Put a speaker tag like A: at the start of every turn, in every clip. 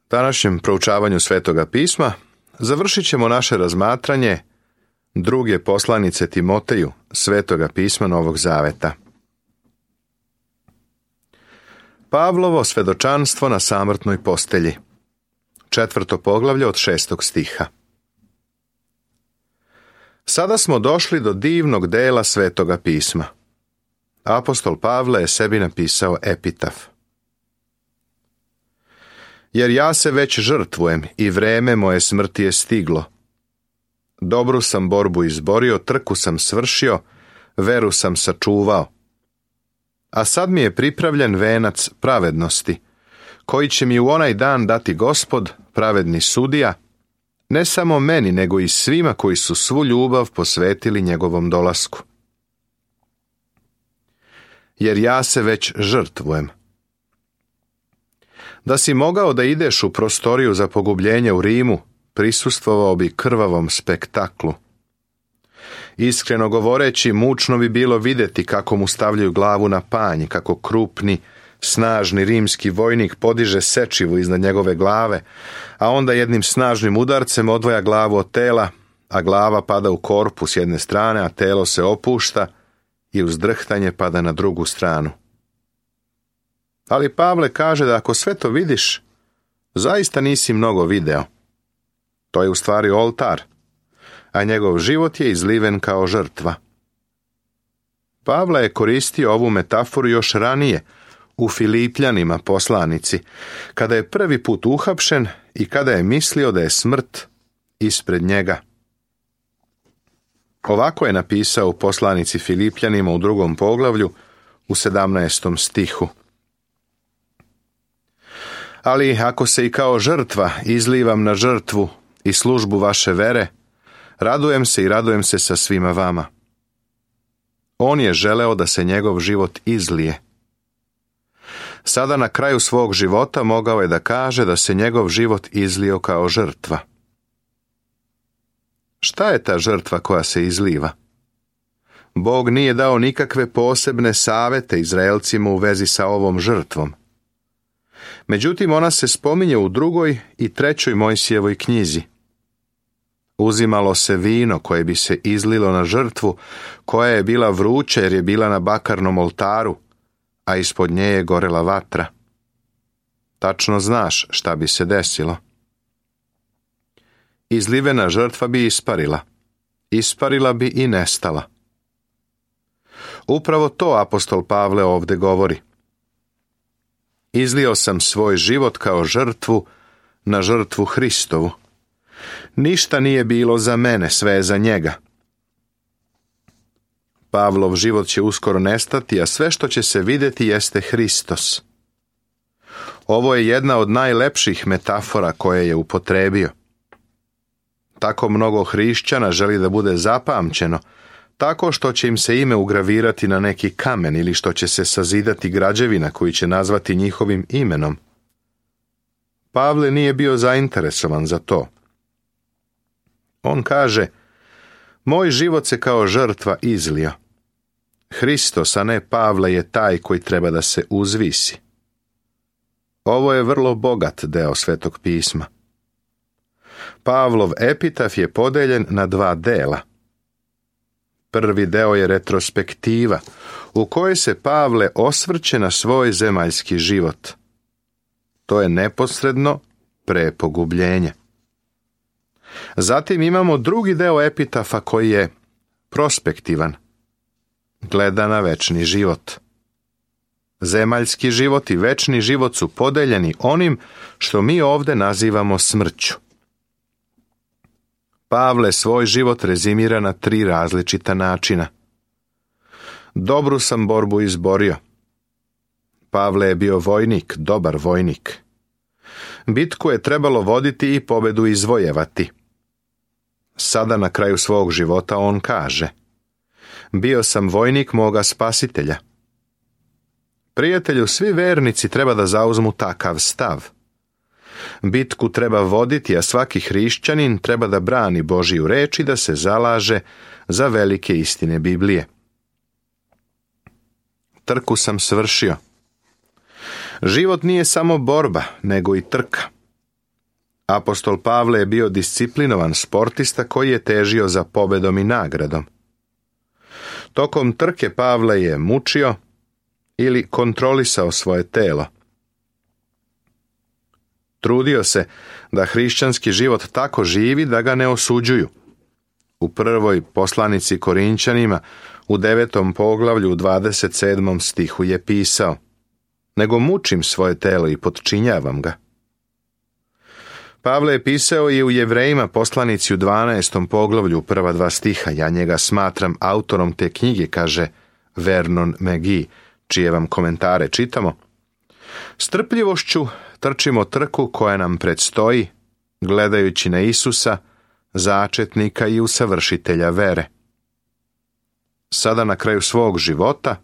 A: današnjem proučavanju Svetoga pisma završit ćemo naše razmatranje druge poslanice Timoteju Svetoga pisma Novog Zaveta. Pavlovo svedočanstvo na samrtnoj postelji. 4. poglavlje od 6. stiha. Sada smo došli do divnog dela Svetoga pisma. Apostol Pavle je sebi napisao epitaf. Jer ja se već žrtvujem i vreme moje smrti je stiglo. Dobru sam borbu izborio, trku sam svršio, veru sam sačuvao. A sad mi je pripravljen venac pravednosti, koji će mi u onaj dan dati Gospod, pravedni sudija, ne samo meni, nego i svima koji su svu ljubav posvetili njegovom dolasku. Jer ja se već žrtvujem. Da si mogao da ideš u prostoriju za pogubljenje u Rimu, prisustvovao bi krvavom spektaklu. Iskreno govoreći, mučno bi bilo vidjeti kako mu stavljaju glavu na panj, kako krupni, snažni rimski vojnik podiže sečivu iznad njegove glave, a onda jednim snažnim udarcem odvaja glavu od tela, a glava pada u korpus s jedne strane, a telo se opušta i uz drhtanje pada na drugu stranu. Ali Pavle kaže da ako sve to vidiš, zaista nisi mnogo video. To je u stvari oltar, a njegov život je izliven kao žrtva. Pavle je koristio ovu metaforu još ranije u Filipljanima poslanici, kada je prvi put uhapšen i kada je mislio da je smrt ispred njega. Ovako je napisao u poslanici Filipljanima u 2. poglavlju u 17. stihu. Ali ako se i kao žrtva izlivam na žrtvu i službu vaše vere, radujem se i radujem se sa svima vama. On je želeo da se njegov život izlije. Sada na kraju svog života mogao je da kaže da se njegov život izlio kao žrtva. Šta je ta žrtva koja se izliva? Bog nije dao nikakve posebne savete Izraelcima u vezi sa ovom žrtvom. Međutim, ona se spominje u 2. i 3. Mojsijevoj knjizi. Uzimalo se vino koje bi se izlilo na žrtvu, koja je bila vruća jer je bila na bakarnom oltaru, a ispod nje je gorela vatra. Tačno znaš šta bi se desilo. Izlivena žrtva bi isparila bi i nestala. Upravo to apostol Pavle ovdje govori. Izlio sam svoj život kao žrtvu na žrtvu Hristovu. Ništa nije bilo za mene, sve je za njega. Pavlov život će uskoro nestati, a sve što će se vidjeti jeste Hristos. Ovo je jedna od najlepših metafora koje je upotrebio. Tako mnogo hrišćana želi da bude zapamćeno, tako što će im se ime ugravirati na neki kamen ili što će se sazidati građevina koju će nazvati njihovim imenom. Pavle nije bio zainteresovan za to. On kaže, moj život se kao žrtva izlio. Hristos, a ne Pavle, je taj koji treba da se uzvisi. Ovo je vrlo bogat deo Svetog pisma. Pavlov epitaf je podeljen na 2 dela. Prvi deo je retrospektiva, u kojoj se Pavle osvrće na svoj zemaljski život. To je neposredno pre pogubljenja. Zatim imamo drugi deo epitafa koji je prospektivan. Gleda na večni život. Zemaljski život i večni život su podeljeni onim što mi ovdje nazivamo smrću. Pavle svoj život rezimira na 3 različita načina. Dobru sam borbu izborio. Pavle je bio vojnik, dobar vojnik. Bitku je trebalo voditi i pobedu izvojevati. Sada na kraju svog života on kaže: bio sam vojnik moga spasitelja. Prijatelju, svi vernici treba da zauzmu takav stav. Bitku treba voditi, a svaki hrišćanin treba da brani Božiju reč i da se zalaže za velike istine Biblije. Trku sam svršio. Život nije samo borba, nego i trka. Apostol Pavle je bio disciplinovan sportista koji je težio za pobedom i nagradom. Tokom trke Pavle je mučio ili kontrolisao svoje telo. Trudio se da hrišćanski život tako živi da ga ne osuđuju. U prvoj poslanici Korinćanima u 9. poglavlju u 27. stihu je pisao: nego mučim svoje telo i potčinjavam ga. Pavle je pisao i u Jevrejima poslanici u 12. poglavlju prva 2 stiha. Ja njega smatram autorom te knjige, kaže Vernon McGee, čije vam komentare čitamo. Strpljivošću trčimo trku koja nam predstoji, gledajući na Isusa, začetnika i usavršitelja vere. Sada na kraju svog života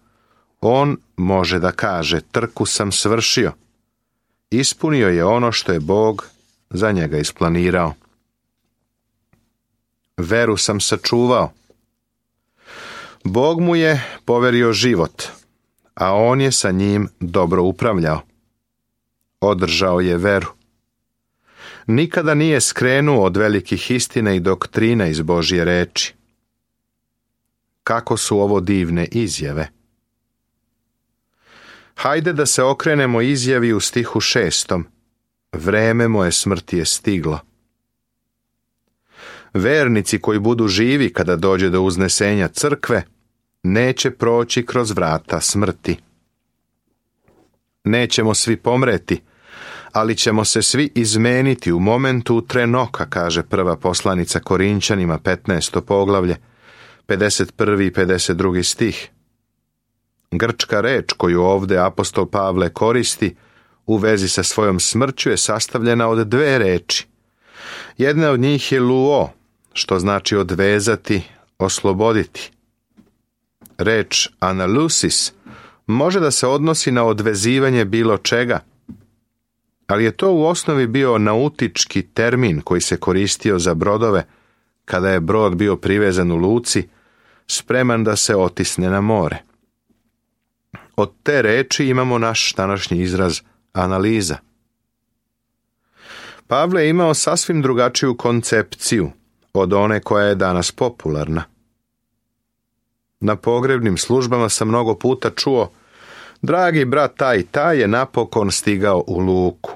A: on može da kaže: trku sam svršio. Ispunio je ono što je Bog za njega isplanirao. Veru sam sačuvao. Bog mu je poverio život, a on je sa njim dobro upravljao. Održao je veru. Nikada nije skrenuo od velikih istina i doktrina iz Božje reči. Kako su ovo divne izjave! Hajde da se okrenemo izjavi u stihu 6. Vreme moje smrti je stiglo. Vernici koji budu živi kada dođe do uznesenja crkve neće proći kroz vrata smrti. Nećemo svi pomreti, ali ćemo se svi izmeniti u momentu trenoka, kaže prva poslanica Korinćanima 15. poglavlje, 51. i 52. stih. Grčka reč koju ovdje apostol Pavle koristi u vezi sa svojom smrću je sastavljena od 2 reči. Jedna od njih je luo, što znači odvezati, osloboditi. Reč analusis može da se odnosi na odvezivanje bilo čega, ali je to u osnovi bio nautički termin koji se koristio za brodove kada je brod bio privezan u luci, spreman da se otisne na more. Od te reči imamo naš današnji izraz analiza. Pavle je imao sasvim drugačiju koncepciju od one koja je danas popularna. Na pogrebnim službama sam mnogo puta čuo: dragi brat taj i taj je napokon stigao u luku.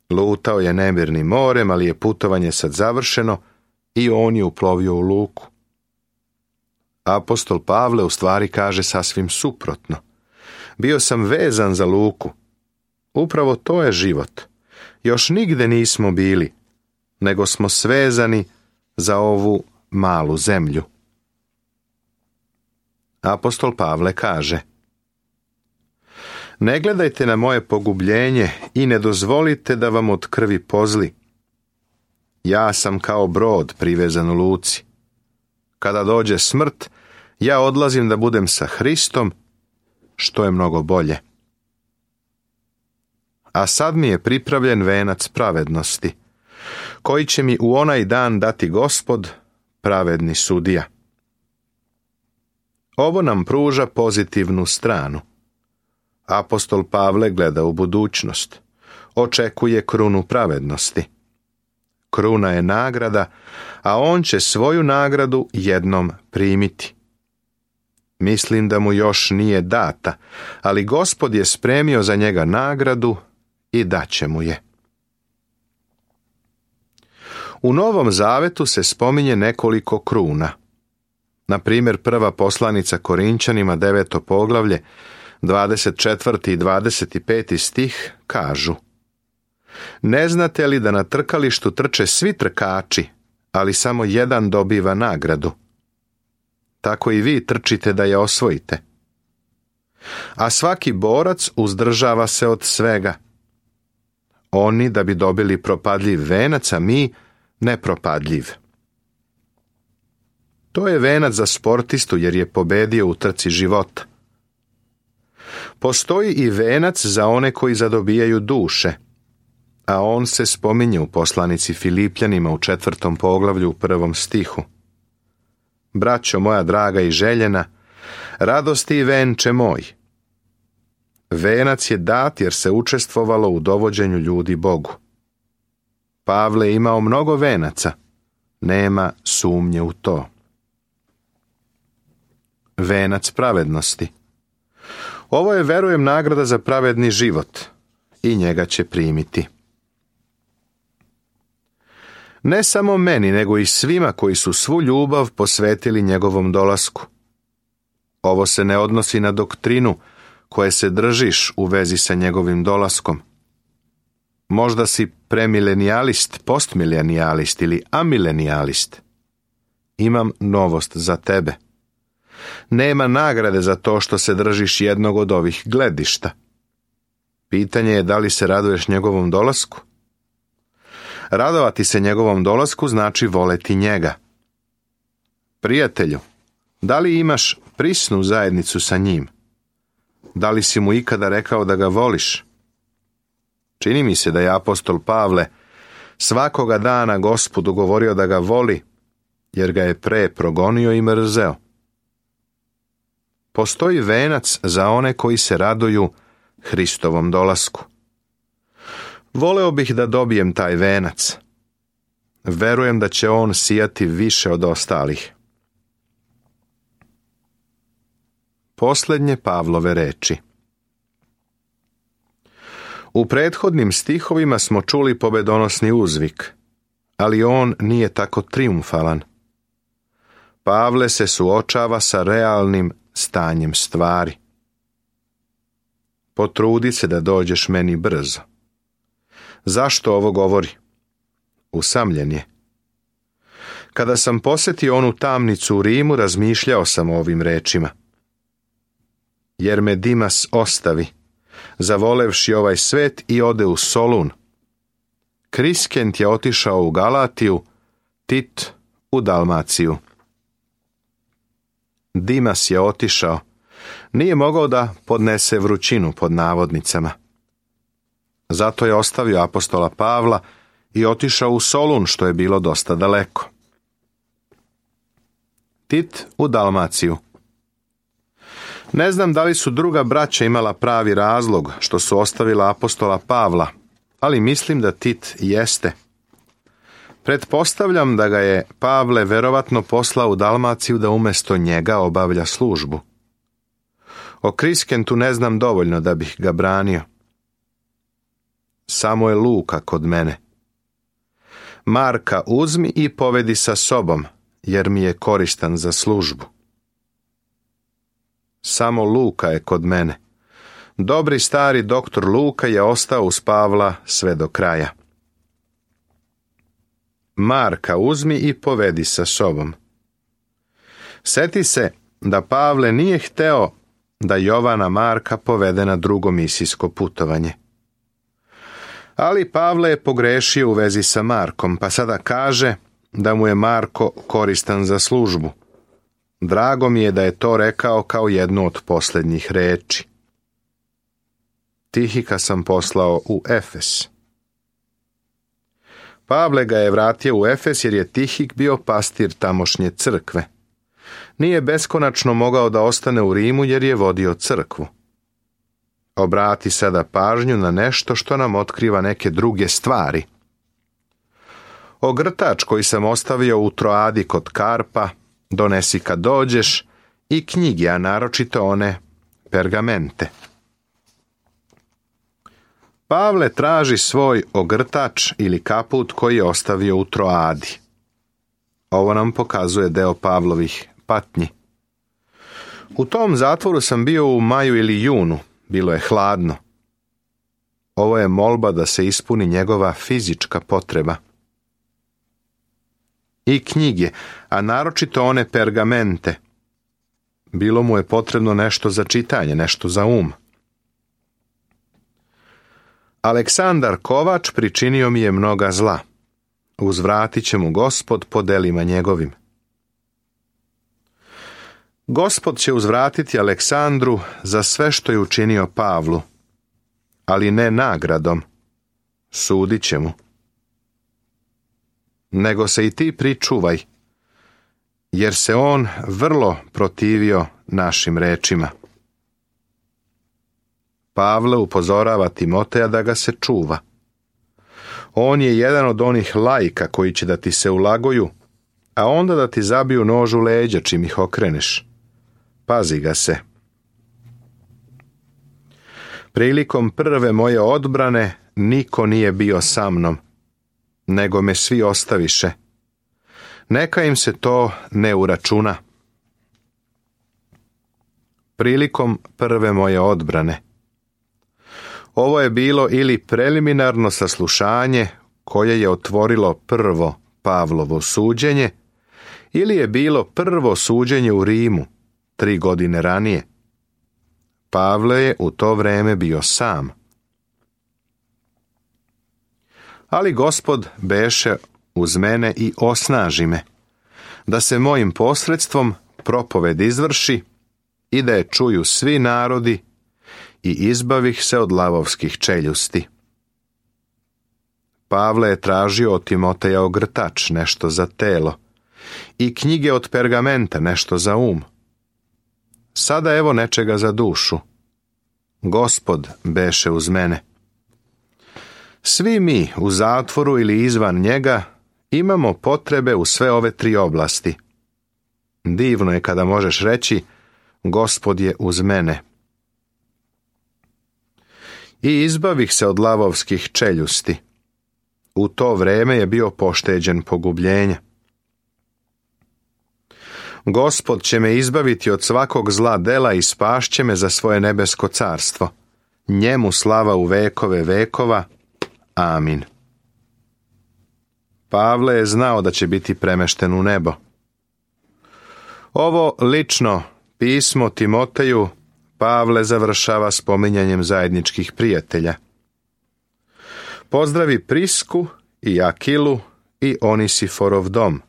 A: Lutao je nemirnim morem, ali je putovanje sad završeno i on je uplovio u luku. Apostol Pavle u stvari kaže sasvim suprotno. Bio sam vezan za luku. Upravo to je život. Još nigde nismo bili, nego smo svezani za ovu malu zemlju. Apostol Pavle kaže: ne gledajte na moje pogubljenje i ne dozvolite da vam od krvi pozli. Ja sam kao brod privezan u luci. Kada dođe smrt, ja odlazim da budem sa Hristom, što je mnogo bolje. A sad mi je pripravljen venac pravednosti, koji će mi u onaj dan dati Gospod, pravedni sudija. Ovo nam pruža pozitivnu stranu. Apostol Pavle gleda u budućnost. Očekuje krunu pravednosti. Kruna je nagrada, a on će svoju nagradu jednom primiti. Mislim da mu još nije data, ali Gospod je spremio za njega nagradu i daće mu je. U Novom Zavetu se spominje nekoliko kruna. Na primjer, prva poslanica Korinćanima 9. poglavlje, 24. i 25. stih kažu: ne znate li da na trkalištu trče svi trkači, ali samo jedan dobiva nagradu? Tako i vi trčite da je osvojite. A svaki borac uzdržava se od svega. Oni da bi dobili propadljiv venac, a mi nepropadljiv. To je venac za sportistu jer je pobedio u trci života. Postoji i venac za one koji zadobijaju duše, a on se spominje u poslanici Filipljanima u 4. poglavlju u 1. stihu. Braćo moja draga i željena, radosti i venče moj. Venac je dat jer se učestvovalo u dovođenju ljudi Bogu. Pavle je imao mnogo venaca, nema sumnje u to. Venac pravednosti. Ovo je, verujem, nagrada za pravedni život i njega će primiti. Ne samo meni, nego i svima koji su svu ljubav posvetili njegovom dolasku. Ovo se ne odnosi na doktrinu koje se držiš u vezi sa njegovim dolaskom. Možda si premilenijalist, postmilenijalist ili amilenijalist. Imam novost za tebe. Nema nagrade za to što se držiš jednog od ovih gledišta. Pitanje je da li se raduješ njegovom dolasku? Radovati se njegovom dolasku znači voleti njega. Prijatelju, da li imaš prisnu zajednicu sa njim? Da li si mu ikada rekao da ga voliš? Čini mi se da je apostol Pavle svakoga dana Gospodu govorio da ga voli, jer ga je pre progonio i mrzeo. Postoji venac za one koji se raduju Hristovom dolasku. Voleo bih da dobijem taj venac. Verujem da će on sijati više od ostalih. Posljednje Pavlove reči. U prethodnim stihovima smo čuli pobedonosni uzvik, ali on nije tako trijumfalan. Pavle se suočava sa realnim stanjem stvari. Potrudi se da dođeš meni brzo. Zašto ovo govori? Usamljen je. Kada sam posjetio onu tamnicu u Rimu, razmišljao sam o ovim rečima. Jer me Dimas ostavi, zavolevši ovaj svet i ode u Solun. Kriskent je otišao u Galatiju, Tit u Dalmaciju. Dimas je otišao, nije mogao da podnese vrućinu pod navodnicama. Zato je ostavio apostola Pavla i otišao u Solun, što je bilo dosta daleko. Tit u Dalmaciju. Ne znam da li su druga braća imala pravi razlog što su ostavila apostola Pavla, ali mislim da Tit jeste. Pretpostavljam da ga je Pavle verovatno poslao u Dalmaciju da umjesto njega obavlja službu. O Kriskentu ne znam dovoljno da bih ga branio. Samo je Luka kod mene. Marka uzmi i povedi sa sobom, jer mi je koristan za službu. Samo Luka je kod mene. Dobri stari doktor Luka je ostao uz Pavla sve do kraja. Marka uzmi i povedi sa sobom. Seti se da Pavle nije hteo da Jovana Marka povede na drugo misijsko putovanje. Ali Pavle je pogrešio u vezi sa Markom, pa sada kaže da mu je Marko koristan za službu. Drago mi je da je to rekao kao jednu od posljednjih reči. Tihika sam poslao u Efes. Pavle ga je vratio u Efes jer je Tihik bio pastir tamošnje crkve. Nije beskonačno mogao da ostane u Rimu jer je vodio crkvu. Obrati sada pažnju na nešto što nam otkriva neke druge stvari. Ogrtač koji sam ostavio u Troadi kod Karpa donesi kad dođeš i knjige, a naročito one pergamente. Pavle traži svoj ogrtač ili kaput koji je ostavio u Troadi. Ovo nam pokazuje deo Pavlovih patnji. U tom zatvoru sam bio u maju ili junu, bilo je hladno. Ovo je molba da se ispuni njegova fizička potreba. I knjige, a naročito one pergamente. Bilo mu je potrebno nešto za čitanje, nešto za um. Aleksandar Kovač pričinio mi je mnoga zla. Uzvratit će mu Gospod po delima njegovim. Gospod će uzvratiti Aleksandru za sve što je učinio Pavlu, ali ne nagradom. Sudit će mu. Nego se i ti pričuvaj, jer se on vrlo protivio našim rečima. Pavle upozorava Timoteja da ga se čuva. On je jedan od onih laika koji će da ti se ulagoju, a onda da ti zabiju nož u leđa čim ih okreneš. Pazi ga se. Prilikom prve moje odbrane niko nije bio sa mnom, nego me svi ostaviše. Neka im se to ne uračuna. Prilikom prve moje odbrane. Ovo je bilo ili preliminarno saslušanje koje je otvorilo prvo Pavlovo suđenje, ili je bilo prvo suđenje u Rimu 3 godine ranije. Pavle je u to vreme bio sam. Ali Gospod beše uz mene i osnaži me, da se mojim posredstvom propoved izvrši i da je čuju svi narodi i izbavih se od lavovskih čeljusti. Pavle je tražio od Timoteja ogrtač, nešto za telo, i knjige od pergamenta, nešto za Sada evo nečega za dušu. Gospod beše uz mene. Svi mi u zatvoru ili izvan njega imamo potrebe u sve ove 3 oblasti. Divno je kada možeš reći Gospod je uz mene. I izbavih se od lavovskih čeljusti. U to vreme je bio pošteđen pogubljenja. Gospod će me izbaviti od svakog zla dela i spašće me za svoje nebesko carstvo. Njemu slava u vekove vekova. Amin. Pavle je znao da će biti premešten u nebo. Ovo lično pismo Timoteju Pavle završava spominjanjem zajedničkih prijatelja. Pozdravi Prisku i Akilu i Onisiforov dom.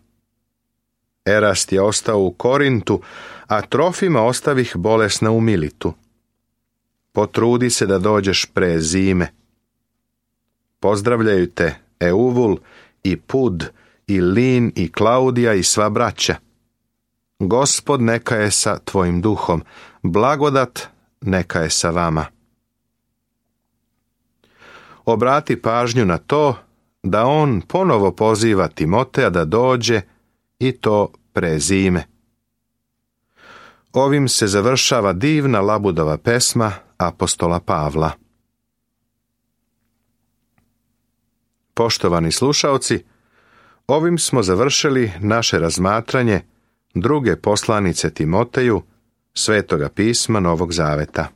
A: Erast je ostao u Korintu, a Trofima ostavih bolesna u Militu. Potrudi se da dođeš pre zime. Pozdravljaju te Euvul i Pud i Lin i Klaudija i sva braća. Gospod neka je sa tvojim duhom, blagodat neka je sa vama. Obrati pažnju na to da on ponovo poziva Timoteja da dođe i to pre zime. Ovim se završava divna Labudova pesma apostola Pavla. Poštovani slušaoci, ovim smo završili naše razmatranje druge poslanice Timoteju, Svetoga pisma Novog Zaveta.